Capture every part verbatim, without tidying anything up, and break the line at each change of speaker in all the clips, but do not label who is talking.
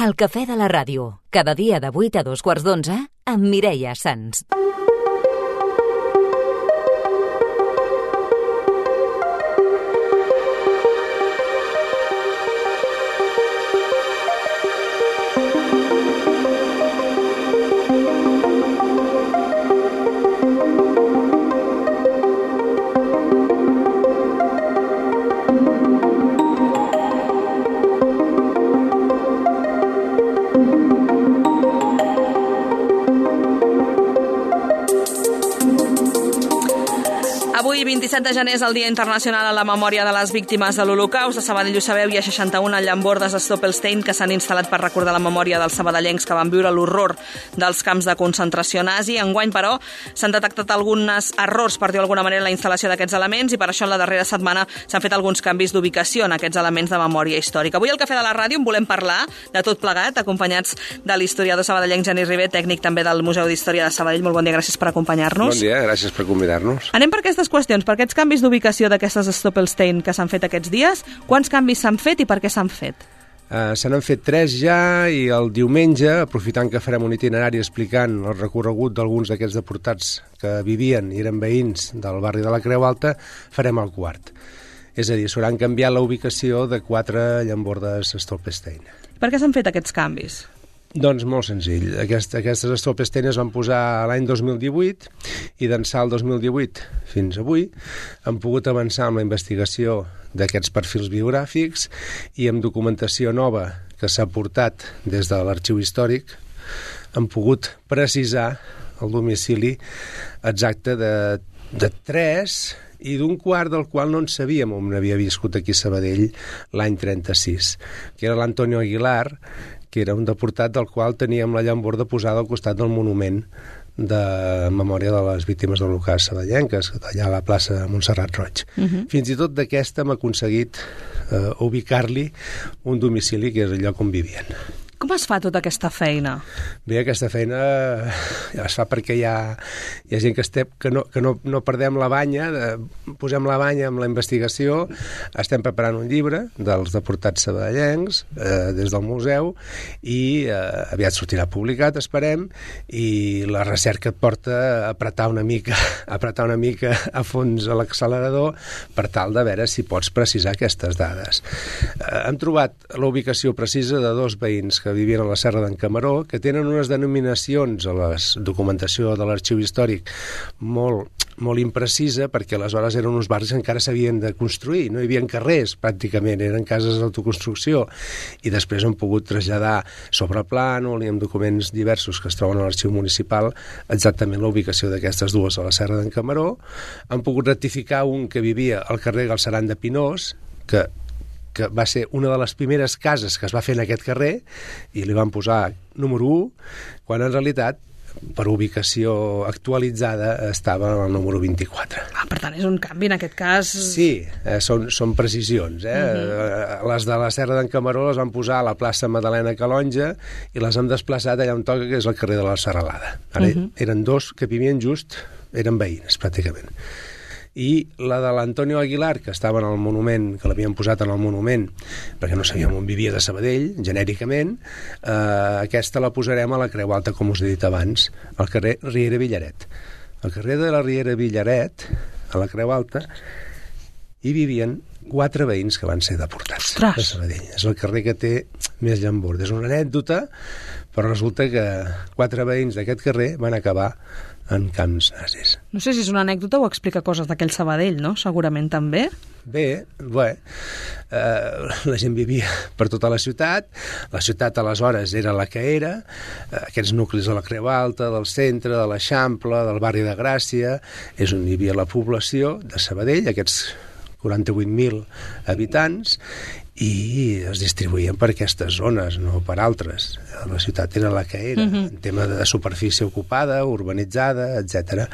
El cafè de la ràdio, cada dia de vuit a dos quarts d'onze, amb Mireia Sans.
Avui, vint-i-set de gener, és el Dia Internacional a la Memòria de les Víctimes de l'Holocaust. A Sabadell, ho sabeu, hi ha seixanta-una llambordes Stoppelstein que s'han instal·lat per recordar la memòria dels sabadellencs que van viure l'horror dels camps de concentració nazi. Enguany, però, s'han detectat alguns errors, per dir d'alguna manera, en la instal·lació d'aquests elements i per això en la darrera setmana s'han fet alguns canvis d'ubicació en aquests elements de memòria històrica. Avui al Cafè de la Ràdio en volem parlar de tot plegat, acompanyats de l'historiador sabadellenc Genís Ribé, tècnic també del Museu d'Història de Sabadell. Molt bon dia, gràcies per acompanyar-nos.
Bon dia, gràcies per convidar-nos.
Anem per aquestes qüestions, per aquests canvis d'ubicació d'aquestes Stoppelstein que s'han fet aquests dies. Quants canvis s'han fet i per què s'han fet?
Uh, se n'han fet tres ja i el diumenge, aprofitant que farem un itinerari explicant el recorregut d'alguns d'aquests deportats que vivien i eren veïns del barri de la Creu Alta, farem el quart. És a dir, s'hauran canviat la ubicació de quatre llambordes Stoppelstein.
Per què s'han fet aquests canvis?
Doncs molt senzill. Aquest, aquestes Stoppelstein es van posar l'any dos mil divuit i d'ençà el dos mil divuit fins avui han pogut avançar amb la investigació d'aquests perfils biogràfics i amb documentació nova que s'ha portat des de l'Arxiu Històric han pogut precisar el domicili exacte de, de tres i d'un quart del qual no en sabíem on havia viscut aquí a Sabadell l'any trenta-sis, que era l'Antonio Aguilar, que era un deportat del qual teníem la llamborda posada al costat del monument de memòria de les víctimes de l'Holocaust sabadellenques, allà a la plaça Montserrat Roig. Uh-huh. Fins i tot d'aquesta hem aconseguit eh, ubicar-li un domicili que és el lloc on vivien.
Com es fa tota aquesta feina?
Bé, aquesta feina ja es fa perquè hi ha, hi ha gent que, estem, que, no, que no, no perdem la banya, de, posem la banya amb la investigació, estem preparant un llibre dels deportats sabadellencs eh, des del museu i eh, aviat sortirà publicat, esperem, i la recerca et porta a apretar una mica, a apretar una mica a fons a l'accelerador per tal de veure si pots precisar aquestes dades. Eh, hem trobat la ubicació precisa de dos veïns que vivien a la Serra d'en Camaró, que tenen unes denominacions a la documentació de l'Arxiu Històric molt, molt imprecisa, perquè aleshores eren uns barris que encara s'havien de construir, no hi havia carrers pràcticament, eren cases d'autoconstrucció, i després han pogut traslladar sobre plànol i amb documents diversos que es troben a l'Arxiu Municipal exactament la ubicació d'aquestes dues a la Serra d'en Camaró. Han pogut rectificar un que vivia al carrer Galceran de Pinós, que que va ser una de les primeres cases que es va fer en aquest carrer i li van posar número u, quan en realitat per ubicació actualitzada estava al número vint-i-quatre.
Ah, per tant, és un canvi en aquest cas...
Sí, eh, són, són precisions. Eh? Uh-huh. Les de la Serra d'en Camaró les van posar a la plaça Madalena Calonja i les han desplaçat allà on toca, que és el carrer de la Serralada. Ara uh-huh. eren dos que vivien just, eren veïns, pràcticament. I la de l'Antonio Aguilar, que estava en el monument, que l'havien posat en el monument, perquè no sabíem on vivia de Sabadell, genèricament, eh, aquesta la posarem a la Creu Alta, com us he dit abans, al carrer Riera Villaret. Al carrer de la Riera Villaret, a la Creu Alta, hi vivien quatre veïns que van ser deportats
Ostres.
a Sabadell. És el carrer que té més llamborda. És una anècdota, però resulta que quatre veïns d'aquest carrer van acabar en camps nazis.
No sé si és una anècdota o explica coses d'aquell Sabadell, no? Segurament també.
Bé, bé, eh, la gent vivia per tota la ciutat, la ciutat aleshores era la que era, eh, aquests nuclis de la Creu Alta, del centre, de l'Eixample, del barri de Gràcia, és on hi havia la població de Sabadell, aquests quaranta-vuit mil habitants, i es distribuïen per aquestes zones, no per altres. La ciutat era la que era, uh-huh. en tema de superfície ocupada, urbanitzada, etcètera.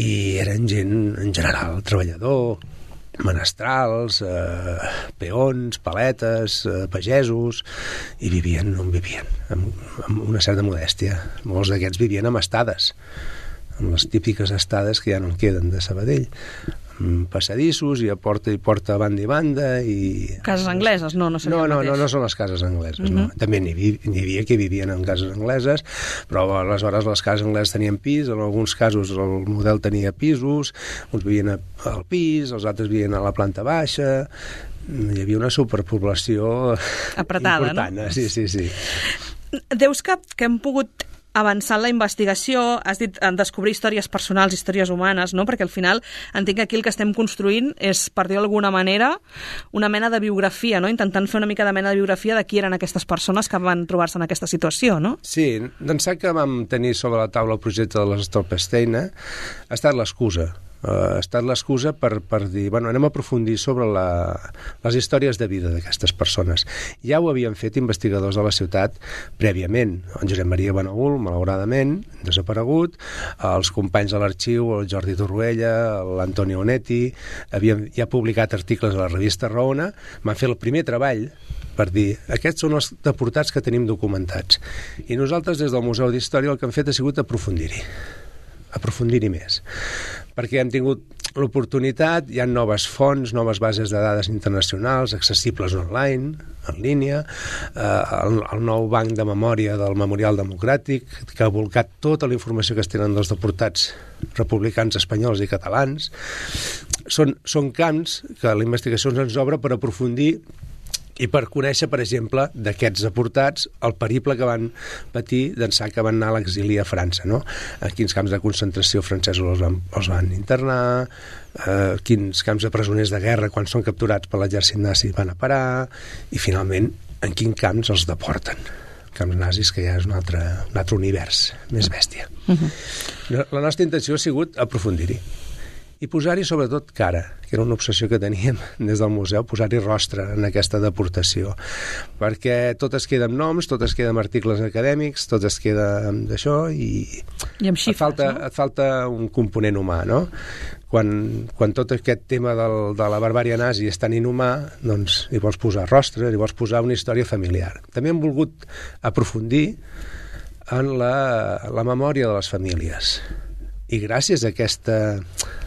I eren gent, en general, treballador, menestrals, eh, peons, paletes, eh, pagesos, i vivien on vivien, amb, amb una certa modèstia. Molts d'aquests vivien amb estades, amb les típiques estades que ja no en queden de Sabadell. passadissos, i a porta i porta a banda i banda. I...
Cases angleses, no? No,
no, no, no, no són les cases angleses, mm-hmm. no. També n'hi havia, n'hi havia que vivien en cases angleses, però aleshores les cases angleses tenien pis, en alguns casos el model tenia pisos, uns vivien al pis, els altres vivien a la planta baixa. Hi havia una superpoblació
apretada,
important,
no?
Sí, sí, sí.
Deus que, que hem pogut avançar en la investigació, has dit en descobrir històries personals, històries humanes, no? Perquè al final entenc que aquí el que estem construint és, per dir-ho d'alguna manera, una mena de biografia, no? Intentant fer una mica de mena de biografia de qui eren aquestes persones que van trobar-se en aquesta situació, no?
Sí, d'ençà que vam tenir sobre la taula el projecte de les Stolpersteine, ha estat l'excusa. Uh, ha estat l'excusa per, per dir, bueno, anem a aprofundir sobre la, les històries de vida d'aquestes persones. Ja ho havien fet investigadors de la ciutat prèviament. En Josep Maria Benaül, malauradament, desaparegut, els companys de l'arxiu, el Jordi Torroella, l'Antonio Onetti, havien ja publicat articles a la revista Raona, van fer el primer treball per dir, aquests són els deportats que tenim documentats. I nosaltres, des del Museu d'Història, el que hem fet ha sigut aprofundir-hi. aprofundir-hi més, perquè hem tingut l'oportunitat, hi ha noves fonts, noves bases de dades internacionals, accessibles online, en línia, eh, el, el nou banc de memòria del Memorial Democràtic, que ha volcat tota la informació que es tenen dels deportats republicans espanyols i catalans. Són, són camps que la investigació ens obre per aprofundir i per conèixer, per exemple, d'aquests deportats, el periple que van patir d'ençà que van anar a l'exili a França, no? A quins camps de concentració francesos els van, els van internar, eh, quins camps de presoners de guerra, quan són capturats per l'exèrcit nazi, van a parar, i finalment, en quins camps els deporten. Camps nazis, que ja és un altre, un altre univers, més bèstia. Uh-huh. La nostra intenció ha sigut aprofundir-hi. I posar-hi sobretot cara, que era una obsessió que teníem des del museu, posar-hi rostre en aquesta deportació, perquè tot es queda amb noms, tot es queda amb articles acadèmics, tot es queda amb d'això i,
I amb xifres,
et falta,
no?
et falta un component humà, no? Quan, quan tot aquest tema del, de la barbària nazi és tan inhumà, doncs hi vols posar rostre, hi vols posar una història familiar. També hem volgut aprofundir en la, la memòria de les famílies. I gràcies a aquesta,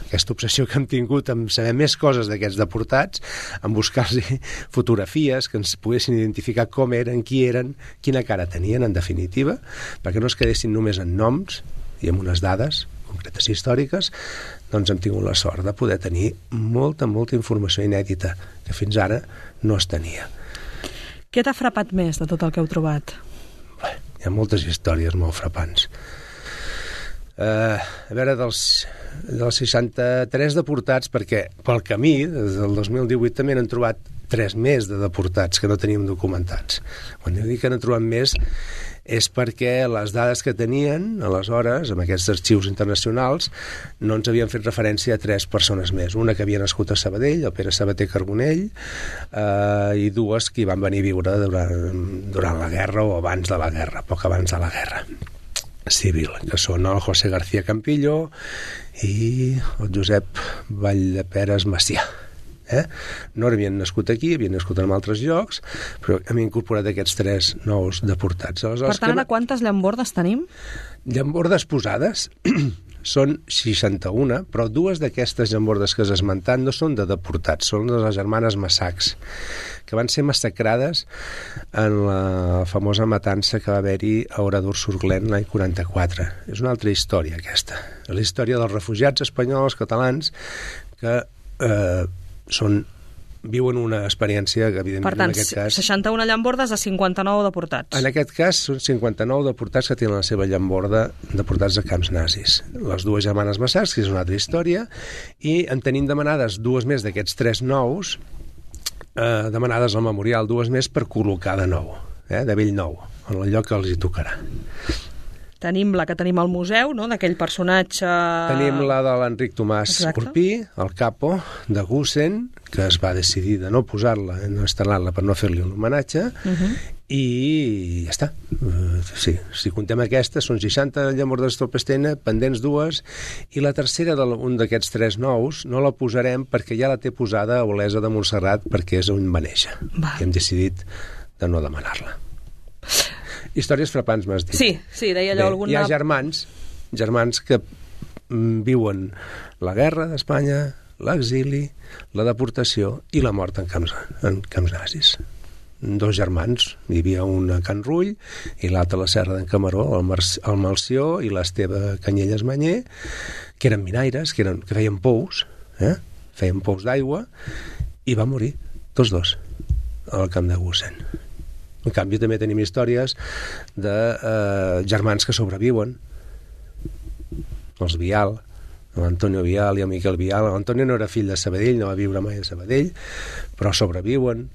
aquesta obsessió que hem tingut en saber més coses d'aquests deportats, en buscar-los fotografies que ens poguessin identificar com eren, qui eren, quina cara tenien, en definitiva, perquè no es quedessin només en noms i amb unes dades concretes històriques, doncs hem tingut la sort de poder tenir molta, molta informació inèdita que fins ara no es tenia.
Què t'ha frapat més de tot el que heu trobat?
Bé, hi ha moltes històries molt frapants. Uh, a veure, dels, dels seixanta-tres deportats, perquè pel camí, des del dos mil divuit també n'han trobat tres més de deportats que no teníem documentats. Quan dic que n'han trobat més és perquè les dades que tenien aleshores, amb aquests arxius internacionals, no ens havien fet referència a tres persones més. Una que havia nascut a Sabadell, el Pere Sabater Carbonell, eh, i dues que hi van venir a viure durant, durant la guerra o abans de la guerra, poc abans de la guerra civil, que són el José García Campillo i el Josep Valldeperes Macià. Eh? No havien nascut aquí, havien nascut en altres llocs, però hem incorporat aquests tres nous deportats. Aleshores,
per tant,
que...
ara quantes llambordes tenim?
Llambordes posades són seixanta-una, però dues d'aquestes llambordes que has esmentat no són de deportats, són de les germanes Massacs, que van ser massacrades en la famosa matança que va haver-hi a Oradour-sur-Glane l'any quaranta-quatre. És una altra història, aquesta. La història dels refugiats espanyols, catalans, que eh, són, viuen una experiència que, evidentment,
per tant,
en aquest cas...
seixanta-una llambordes a cinquanta-nou deportats.
En aquest cas, són cinquanta-nou deportats que tenen la seva llamborda deportats de camps nazis. Les dues germanes Massacs, que és una altra història, i en tenim demanades dues més d'aquests tres nous, eh, demanades al memorial, dues més per col·locar de nou, eh, de bell nou, en el lloc que els hi tocarà.
Tenim la que tenim al museu, no?, d'aquell personatge...
Tenim la de l'Enric Tomàs
Exacte.
Urpí, el capo de Gusen, que es va decidir de no posar-la, no instal·lar-la per no fer-li un homenatge, uh-huh. i ja està. Uh, sí, si contem aquestes, són seixanta llambordes de Stolpersteine, pendents dues, i la tercera d'un d'aquests tres nous no la posarem perquè ja la té posada a Olesa de Montserrat, perquè és on va néixer. Va. I hem decidit de no demanar-la. Històries frapants, m'has dit.
Sí, sí, deia allò...
Bé,
alguna...
hi ha germans, germans que mm, viuen la guerra d'Espanya, l'exili, la deportació i la mort en camps, en camps nazis. Dos germans, hi havia un a Can Rull i l'altre a la Serra d'en Camaró, el, Mar el Malció i l'Esteve Canyelles Manyer, que eren minaires, que, eren, que feien pous, eh? feien pous d'aigua, i van morir, tots dos, al camp de Gusen. En canvi, també tenim històries de eh, germans que sobreviuen, els Vial, l'Antonio Vial i el Miquel Vial. L'Antonio no era fill de Sabadell, no va viure mai a Sabadell, però sobreviuen,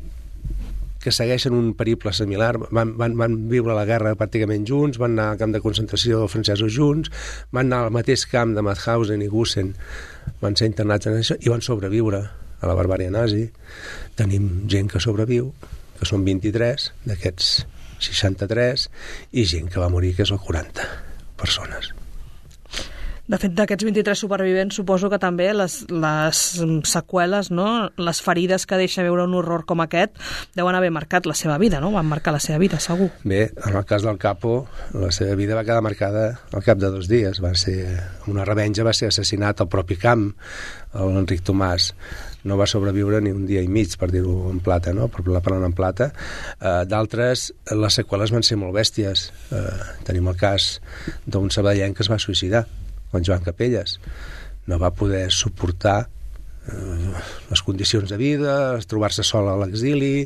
que segueixen un periple similar, van, van, van viure la guerra pràcticament junts, van anar al camp de concentració francesos junts, van anar al mateix camp de Mauthausen i Gusen, van ser internats en això i van sobreviure a la barbària nazi. Tenim gent que sobreviu, que són vint-i-tres, d'aquests seixanta-tres, i gent que va morir, que és el quaranta persones.
De fet, d'aquests vint-i-tres supervivents, suposo que també les, les seqüeles, no? Les ferides que deixa veure un horror com aquest, deuen haver marcat la seva vida, no? Van marcar la seva vida, segur.
Bé, en el cas del Capo, la seva vida va quedar marcada al cap de dos dies. Va ser una revenja, va ser assassinat al propi camp, l'Enric Tomàs. No va sobreviure ni un dia i mig, per dir-ho en plata, no? Per parlar en plata. Uh, D'altres, les seqüeles van ser molt bèsties. Uh, tenim el cas d'un sabadellenc que es va suïcidar, en Joan Capelles. No va poder suportar eh, les condicions de vida, trobar-se sol a l'exili,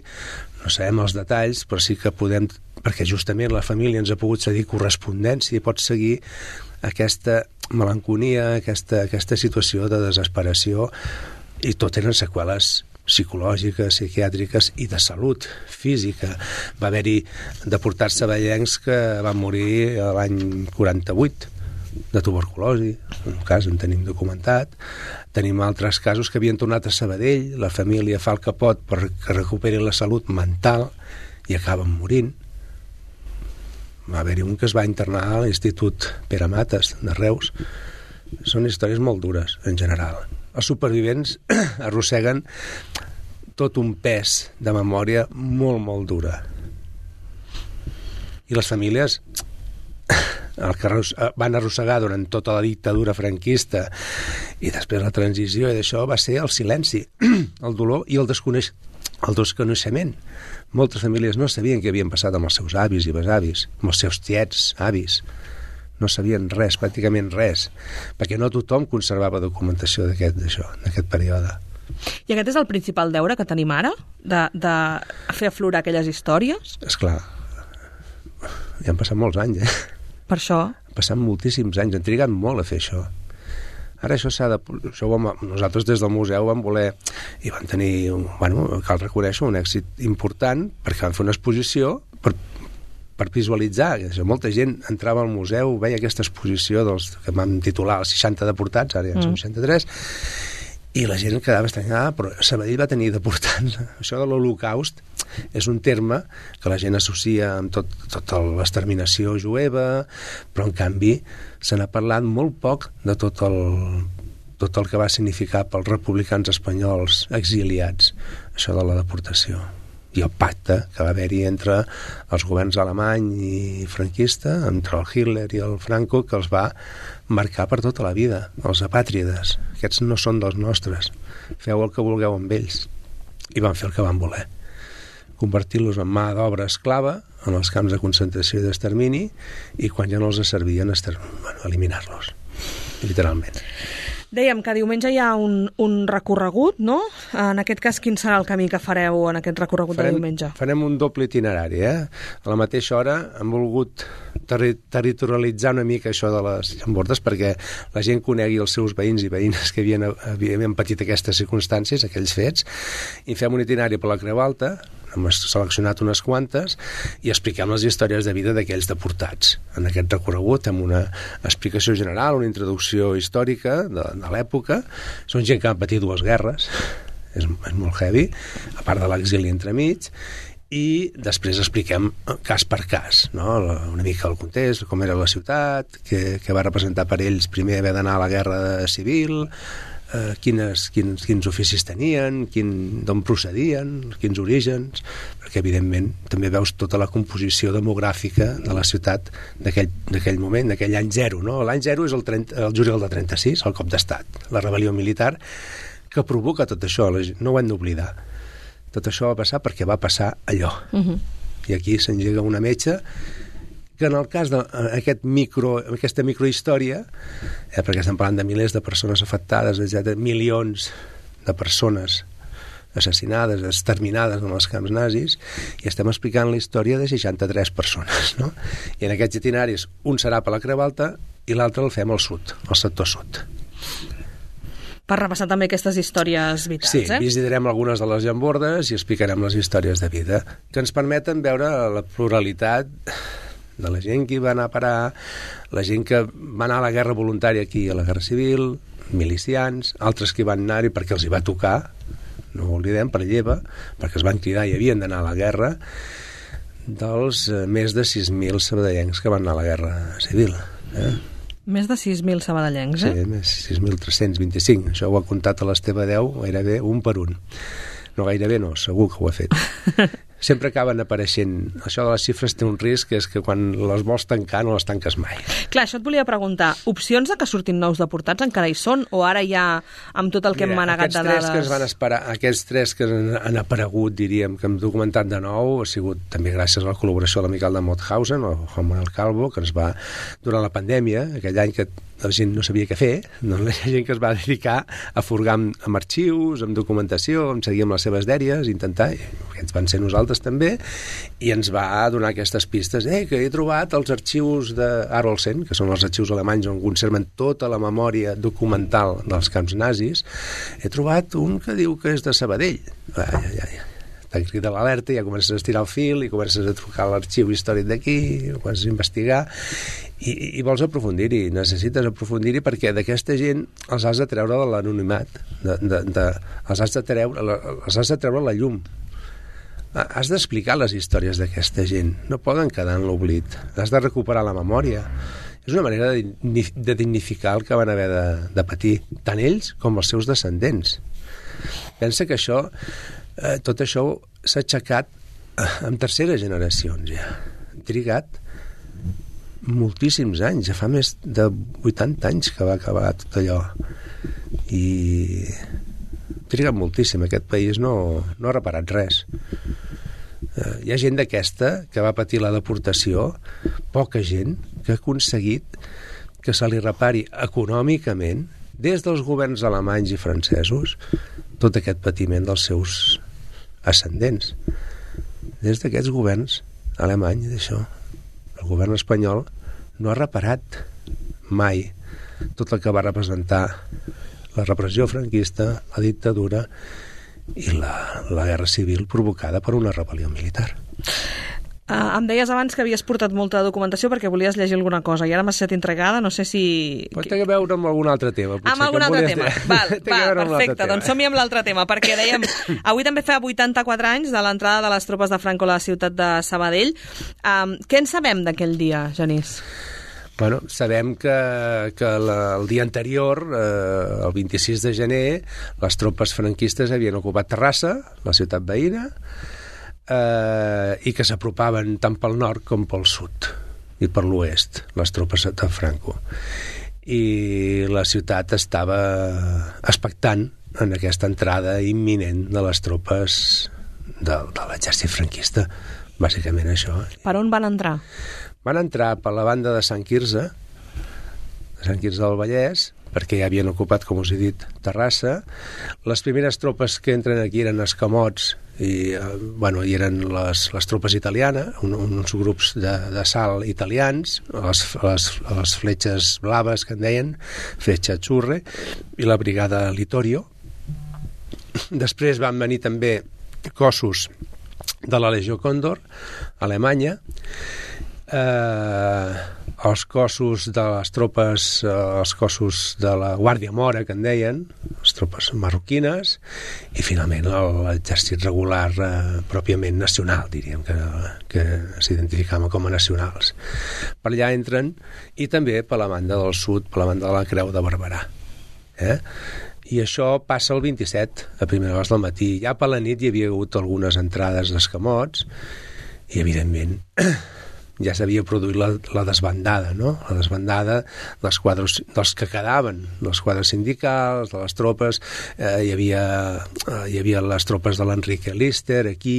no sabem els detalls, però sí que podem, perquè justament la família ens ha pogut cedir correspondència i pot seguir aquesta melanconia, aquesta, aquesta situació de desesperació, i tot eren seqüeles psicològiques, psiquiàtriques i de salut física. Va haver-hi deportats sabadellencs que van morir l'any quaranta-vuit, de tuberculosi, un cas en tenim documentat. Tenim altres casos que havien tornat a Sabadell, la família fa el que pot perquè recuperi la salut mental i acaben morint. Va haver-hi un que es va internar a l'Institut Pere Mates de Reus. Són històries molt dures, en general. Els supervivents arrosseguen tot un pes de memòria molt, molt dura. I les famílies el que van arrossegar durant tota la dictadura franquista i després la transició i d'això va ser el silenci, el dolor i el, desconeix el desconeixement. Moltes famílies no sabien què havien passat amb els seus avis i besavis, amb els seus tiets, avis. No sabien res, pràcticament res, perquè no tothom conservava documentació d'aquest d'això, d'aquest període.
I aquest és el principal deure que tenim ara? De, de fer aflorar aquelles històries?
Esclar, ja han passat molts anys, eh?
Per això?
Han passat moltíssims anys, han trigat molt a fer això. Ara això s'ha de... Això ho, nosaltres des del museu vam voler i vam tenir, bueno, cal reconèixer, un èxit important perquè vam fer una exposició per, per visualitzar. Molta gent entrava al museu, veia aquesta exposició dels que vam titular els seixanta deportats, ara ja en són seixanta-tres, i la gent quedava estranyada, però Sabadell va tenir deportats. Això de l'Holocaust és un terme que la gent associa amb tot, tota l'exterminació jueva, però en canvi se n'ha parlat molt poc de tot el, tot el que va significar pels republicans espanyols exiliats, això de la deportació. I el pacte que va haver-hi entre els governs alemany i franquista, entre el Hitler i el Franco, que els va marcar per tota la vida, els apàtrides. Aquests no són dels nostres. Feu el que vulgueu amb ells. I van fer el que van voler. Convertir-los en mà d'obra esclava en els camps de concentració i d'extermini, i quan ja no els servien, bueno, eliminar-los, literalment.
Dèiem que diumenge hi ha un, un recorregut, no? En aquest cas, quin serà el camí que fareu en aquest recorregut farem, de diumenge?
Farem un doble itinerari, eh? A la mateixa hora hem volgut terri territorialitzar una mica això de les llambordes perquè la gent conegui els seus veïns i veïnes que havien, havien patit aquestes circumstàncies, aquells fets, i fem un itinerari per la Creu Alta, hem seleccionat unes quantes i expliquem les històries de vida d'aquells deportats. En aquest recorregut amb una explicació general, una introducció històrica de, de l'època. Són gent que han patit dues guerres, és, és molt heavy, a part de l'exili entremig, i després expliquem cas per cas, no? Una mica el context, com era la ciutat, què, què va representar per ells primer haver d'anar a la guerra civil, Eh, quines, quins, quins oficis tenien, quin, d'on procedien, quins orígens, perquè evidentment també veus tota la composició demogràfica de la ciutat d'aquell moment, d'aquell any zero, no? L'any zero és el, trenta, el juliol de trenta-sis, el cop d'estat, la rebel·lió militar, que provoca tot això, no ho hem d'oblidar. Tot això va passar perquè va passar allò. Uh-huh. I aquí s'engega una metxa que en el cas d'aquest micro, aquesta microhistòria, eh, perquè estem parlant de milers de persones afectades, etcètera, milions de persones assassinades, exterminades en els camps nazis, i estem explicant la història de seixanta-tres persones, no? I en aquests itineraris un serà per la Creu Alta i l'altre el fem al sud, al sector sud.
Per repassar també aquestes històries vitals,
sí,
eh?
Sí, visitarem algunes de les llambordes i explicarem les històries de vida, que ens permeten veure la pluralitat de la gent que hi va anar a parar, la gent que va anar a la guerra voluntària aquí, a la guerra civil, milicians, altres que hi van anar-hi perquè els hi va tocar, no ho oblidem, per lleva, perquè es van cridar i havien d'anar a la guerra, dels eh, més de sis mil sabadellencs que van anar a la guerra civil. Eh?
Més de sis mil sabadellencs, eh?
Sí, més sis mil tres-cents vint-i-cinc. Això ho ha comptat a l'Esteve deu, gairebé un per un. No, gairebé no, segur que ho ha fet. Sempre acaben apareixent. Això de les xifres té un risc, és que quan les vols tancar no les tanques mai.
Clar, això et volia preguntar. Opcions de que surtin nous deportats encara hi són? O ara ja, amb tot el que
Mira,
hem manegat de dades...
Aquests tres que es van esperar, aquests tres que han aparegut, diríem, que hem documentat de nou, ha sigut també gràcies a la col·laboració de l'amical de Mauthausen, el Juan Manuel Calvo, que ens va, durant la pandèmia, aquell any que la gent no sabia què fer, doncs la gent que es va dedicar a furgar amb, amb arxius, amb documentació, amb seguir amb les seves dèries, intentar, que ens van ser nosaltres també, i ens va donar aquestes pistes, eh, que he trobat els arxius d'Arolsen, que són els arxius alemanys on conserven tota la memòria documental dels camps nazis, he trobat un que diu que és de Sabadell. Ai, ai, ai. T'ha cridat l'alerta, ja comences a estirar el fil i comences a trucar a l'arxiu històric d'aquí, comences a investigar i, i vols aprofundir-hi, necessites aprofundir-hi perquè d'aquesta gent els has de treure de l'anonimat, de, de, de, els, has de treure, els has de treure la llum. Has d'explicar les històries d'aquesta gent, no poden quedar en l'oblit, has de recuperar la memòria. És una manera de, de dignificar el que van haver de, de patir, tant ells com els seus descendents. Pensa que això, eh, tot això s'ha aixecat en terceres generacions ja. Han trigat moltíssims anys, ja fa més de vuitanta anys que va acabar tot allò. I ha trigat moltíssim, aquest país no, no ha reparat res. Eh, hi ha gent d'aquesta que va patir la deportació, poca gent que ha aconseguit que se li repari econòmicament des dels governs alemanys i francesos tot aquest patiment dels seus ascendents. Des d'aquests governs alemany, d'això, el govern espanyol no ha reparat mai tot el que va representar la repressió franquista, la dictadura i la, la guerra civil provocada per una rebel·lió militar.
Uh, em deies abans que havies portat molta documentació perquè volies llegir alguna cosa i ara m'has estat entregada, no sé si...
Pot té a veure amb algun altre tema.
Amb algun altre tema, val, val perfecte, doncs som-hi amb l'altre tema, perquè dèiem, avui també fa vuitanta-quatre anys de l'entrada de les tropes de Franco a la ciutat de Sabadell. Um, què en sabem d'aquell dia, Genís?
Bueno, sabem que, que la, el dia anterior, eh, el vint-i-sis de gener, les tropes franquistes havien ocupat Terrassa, la ciutat veïna, eh, i que s'apropaven tant pel nord com pel sud i per l'oest, les tropes de Franco. I la ciutat estava expectant en aquesta entrada imminent de les tropes de, de l'exèrcit franquista, bàsicament això.
Per on van entrar?
Van entrar per la banda de Sant Quirze, de Sant Quirze del Vallès, perquè ja havien ocupat, com us he dit, Terrassa. Les primeres tropes que entren aquí eren escamots, i, eh, bueno, i eren les, les tropes italianes, un, uns grups de, de salt italians, les, les, les fletxes blaves que en deien, fletxa Azzurre, i la brigada Littorio. Després van venir també cossos de la Legió Còndor, Alemanya, Eh, els cossos de les tropes, eh, els cossos de la Guàrdia Mora, que en deien, les tropes marroquines, i finalment l'exèrcit regular eh, pròpiament nacional, diríem, que, que s'identificaven com a nacionals. Per allà entren, i també per la banda del sud, per la banda de la Creu de Barberà. Eh? I això passa el vint-i-set, a primera hora del matí. Ja per la nit hi havia hagut algunes entrades d'escamots, i evidentment ja s'havia produït la, la desbandada, no? La desbandada dels quadres, dels que quedaven, dels quadres sindicals, de les tropes, eh, hi havia eh, hi havia les tropes de l'Enrique Lister aquí,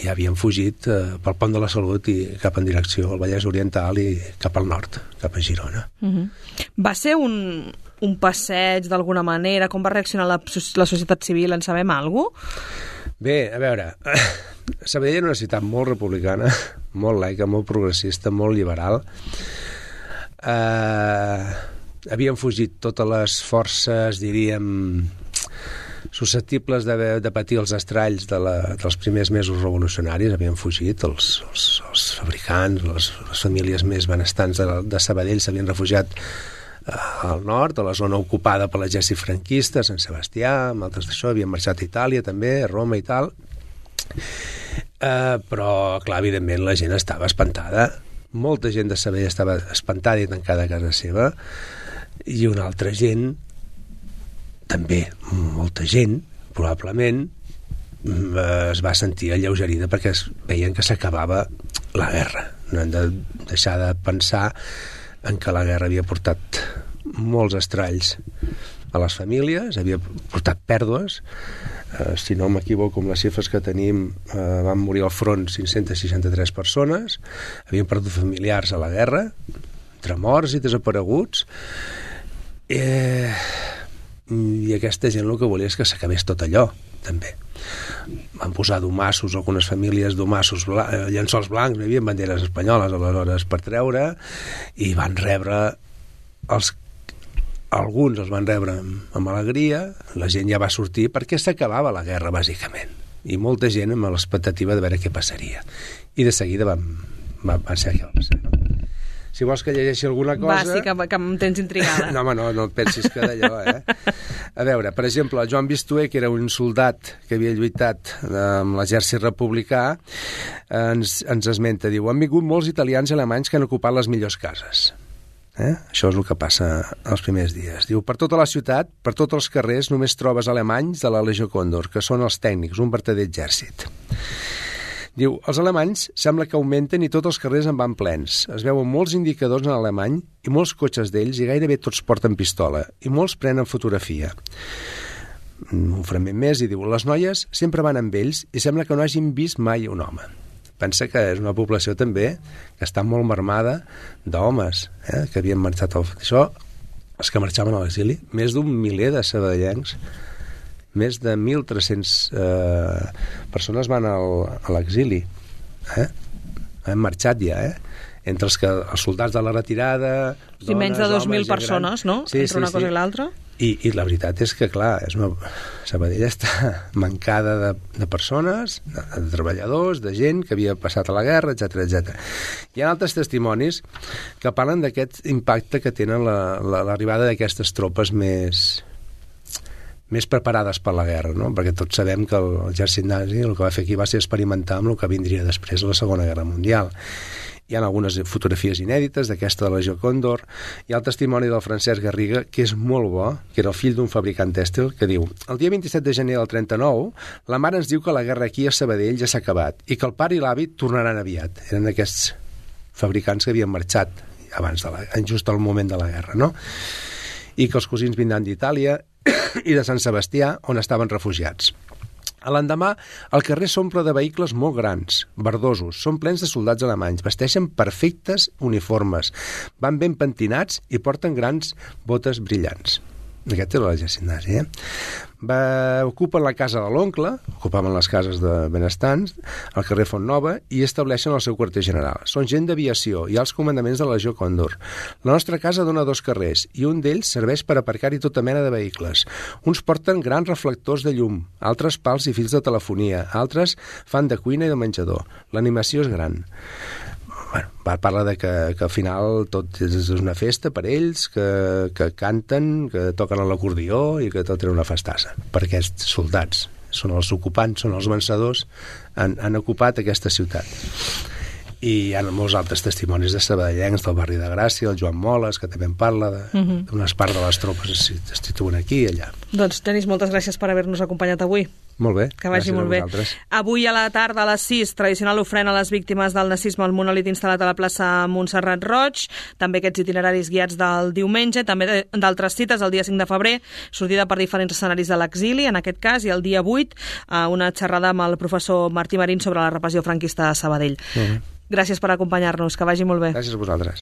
i havien fugit eh, pel Pont de la Salut i cap en direcció al Vallès Oriental i cap al nord, cap a Girona.
Uh-huh. Va ser un, un passeig d'alguna manera? Com va reaccionar la, la societat civil? En sabem alguna cosa?
Bé, a veure, Sabadell era una ciutat molt republicana, molt laica, molt progressista, molt liberal. Eh, havien fugit totes les forces, diríem, susceptibles de, de patir els estralls de la, dels primers mesos revolucionaris. Havien fugit els, els, els fabricants, les, les famílies més benestants de, de Sabadell s'havien refugiat al nord, a la zona ocupada per l'exèrcit franquista, Sant Sebastià, amb altres d'això, havien marxat a Itàlia també, a Roma i tal. Eh, però, clar, evidentment la gent estava espantada. Molta gent de Sabadell estava espantada i tancada a casa seva, i una altra gent, també molta gent, probablement, es va sentir alleugerida perquè es veien que s'acabava la guerra. No hem de deixar de pensar en què la guerra havia portat molts estralls a les famílies, havia portat pèrdues. Eh, si no m'equivoco amb les xifres que tenim, eh, van morir al front cinc-centes seixanta-tres persones, havien perdut familiars a la guerra, entre morts i desapareguts, eh, i aquesta gent el que volia és que s'acabés tot allò, també. Van posar domassos, algunes famílies domassos, blan llençols blancs, hi havia banderes espanyoles aleshores per treure, i van rebre els, alguns els van rebre amb, amb alegria, la gent ja va sortir perquè s'acabava la guerra bàsicament, i molta gent amb l'expectativa de veure què passaria, i de seguida van, van, van ser què va passar, no? Si vols que llegeixi alguna cosa...
Va, sí, que, que em tens intrigada.
No, home, no, no et pensis que d'allò, eh? A veure, per exemple, el Joan Vistuer, que era un soldat que havia lluitat amb l'exèrcit republicà, ens, ens esmenta, diu, han vingut molts italians i alemanys que han ocupat les millors cases. Eh? Això és el que passa els primers dies. Diu, per tota la ciutat, per tots els carrers, només trobes alemanys de la Legió Còndor, que són els tècnics, un vertader exèrcit. Diu, els alemanys sembla que augmenten i tots els carrers en van plens. Es veuen molts indicadors en alemany i molts cotxes d'ells i gairebé tots porten pistola i molts prenen fotografia. Un fragment més i diu, les noies sempre van amb ells i sembla que no hagin vist mai un home. Pensa que és una població també que està molt marmada d'homes, eh, que havien marxat al... Això, els que marxaven a l'exili, més d'un miler de sabadellencs, més de mil tres-cents eh, persones van al, a l'exili, eh? Han marxat ja, eh? Entre els, que, els soldats de la retirada,
sí, dones, menys de dos mil persones, no?
Sí,
entre
sí,
una cosa
sí.
i l'altra.
I, I la veritat és que, clar, és una... Sabadell està mancada de, de persones, de, de treballadors, de gent que havia passat a la guerra, etcètera, etcètera. Hi ha altres testimonis que parlen d'aquest impacte que tenen l'arribada la, la, d'aquestes tropes més... més preparades per la guerra, no? Perquè tots sabem que l'exèrcit nazi el que va fer aquí va ser experimentar amb el que vindria després a la Segona Guerra Mundial. Hi ha algunes fotografies inèdites d'aquesta de la Legió Còndor. Hi ha el testimoni del Francesc Garriga, que és molt bo, que era el fill d'un fabricant tèxtil, que diu, el dia vint-i-set de gener del trenta-nou, la mare ens diu que la guerra aquí a Sabadell ja s'ha acabat i que el pare i l'avi tornaran aviat. Eren aquests fabricants que havien marxat abans de la, just al moment de la guerra, no? I que els cosins vindran d'Itàlia i de Sant Sebastià, on estaven refugiats. A l'endemà, el carrer s'omple de vehicles molt grans, verdosos, són plens de soldats alemanys, vesteixen perfectes uniformes, van ben pentinats i porten grans botes brillants. Aquest era l'exèrcit nazi, eh? Va, ocupen la casa de l'oncle, ocupaven les cases de benestants, al carrer Font Nova, i estableixen el seu quarter general. Són gent d'aviació i alts comandaments de la Legió Còndor. La nostra casa dona dos carrers, i un d'ells serveix per aparcar-hi tota mena de vehicles. Uns porten grans reflectors de llum, altres pals i fils de telefonia, altres fan de cuina i de menjador. L'animació és gran. Bueno, parla de que, que al final tot és una festa per ells, que, que canten, que toquen l'acordió i que tot era una festassa per aquests soldats. Són els ocupants, són els vencedors, han, han ocupat aquesta ciutat. I hi ha molts altres testimonis de sabadellencs del barri de Gràcia, el Joan Moles, que també en parla d'unes uh-huh. part de les tropes es, es situen aquí i allà.
Doncs, Denis, moltes gràcies per haver-nos acompanyat avui.
Molt bé.
Que vagi
gràcies
molt
a
bé.
vosaltres.
Avui a la tarda a les sis, tradicional ofrena a les víctimes del nazisme al monòlit instal·lat a la plaça Montserrat Roig, també aquests itineraris guiats del diumenge, també d'altres cites, el dia cinc de febrer, sortida per diferents escenaris de l'exili, en aquest cas, i el dia vuit, una xerrada amb el professor Martí Marín sobre la repressió franquista a Sabadell.
Uh-huh.
Gràcies per acompanyar-nos, que vagi molt bé.
Gràcies a vosaltres.